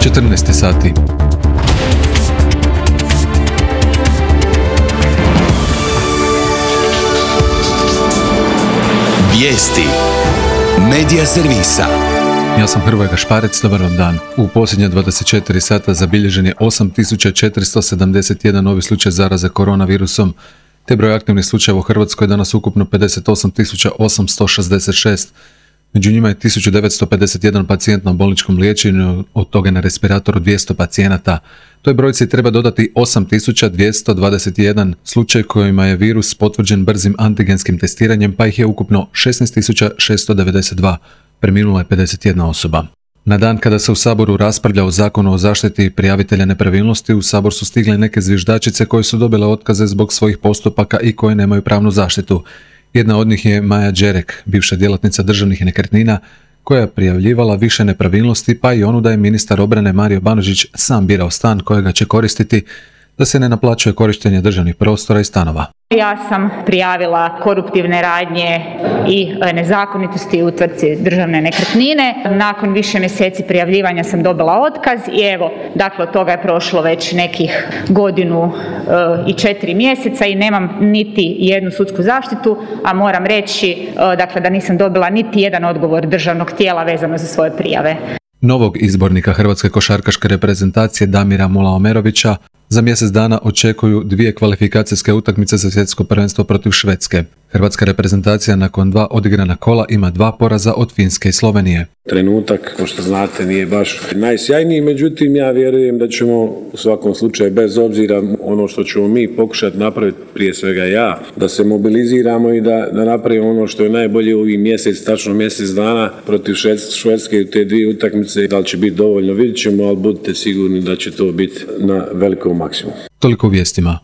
14 sati. Vijesti Medija servisa. Ja sam Hrvoje Gašparec, dobar vam dan. U posljednja 24 sata zabilježen je 8471 novi slučaj zaraze koronavirusom, te broj aktivnih slučajeva u Hrvatskoj je danas ukupno 58.866. Među njima je 1951 pacijent na bolničkom liječenju, od toga na respiratoru 200 pacijenata. Toj brojci treba dodati 8221 slučaj kojima je virus potvrđen brzim antigenskim testiranjem, pa ih je ukupno 16692. Preminula je 51 osoba. Na dan kada se u Saboru raspravlja o Zakonu o zaštiti prijavitelja nepravilnosti, u Sabor su stigle neke zviždačice koje su dobile otkaze zbog svojih postupaka i koje nemaju pravnu zaštitu. Jedna od njih je Maja Đerek, bivša djelatnica državnih nekretnina, koja je prijavljivala više nepravilnosti, pa i onu da je ministar obrane Mario Banožić sam birao stan kojega će koristiti, da se ne naplaćuje korištenje državnih prostora i stanova. Ja sam prijavila koruptivne radnje i nezakonitosti u tvrtci Državne nekretnine. Nakon više mjeseci prijavljivanja sam dobila otkaz i evo, dakle od toga je prošlo već nekih godinu i 4 mjeseca i nemam niti jednu sudsku zaštitu, a moram reći dakle da nisam dobila niti jedan odgovor državnog tijela vezano za svoje prijave. Novog izbornika hrvatske košarkaške reprezentacije Damira Mulaomerovića za mjesec dana očekuju 2 kvalifikacijske utakmice za svjetsko prvenstvo protiv Švedske. Hrvatska reprezentacija nakon 2 odigrana kola ima 2 poraza od Finske i Slovenije. Trenutak, kao što znate, nije baš najsjajniji, međutim ja vjerujem da ćemo u svakom slučaju, bez obzira ono što ćemo mi pokušati napraviti, prije svega ja, da se mobiliziramo i da napravimo ono što je najbolje u ovih tačno mjesec dana protiv Švedske u te 2 utakmice. Da li će biti dovoljno, vidjet ćemo, ali budite sigurni da će to biti na velikom maksimumu. Toliko u vijestima.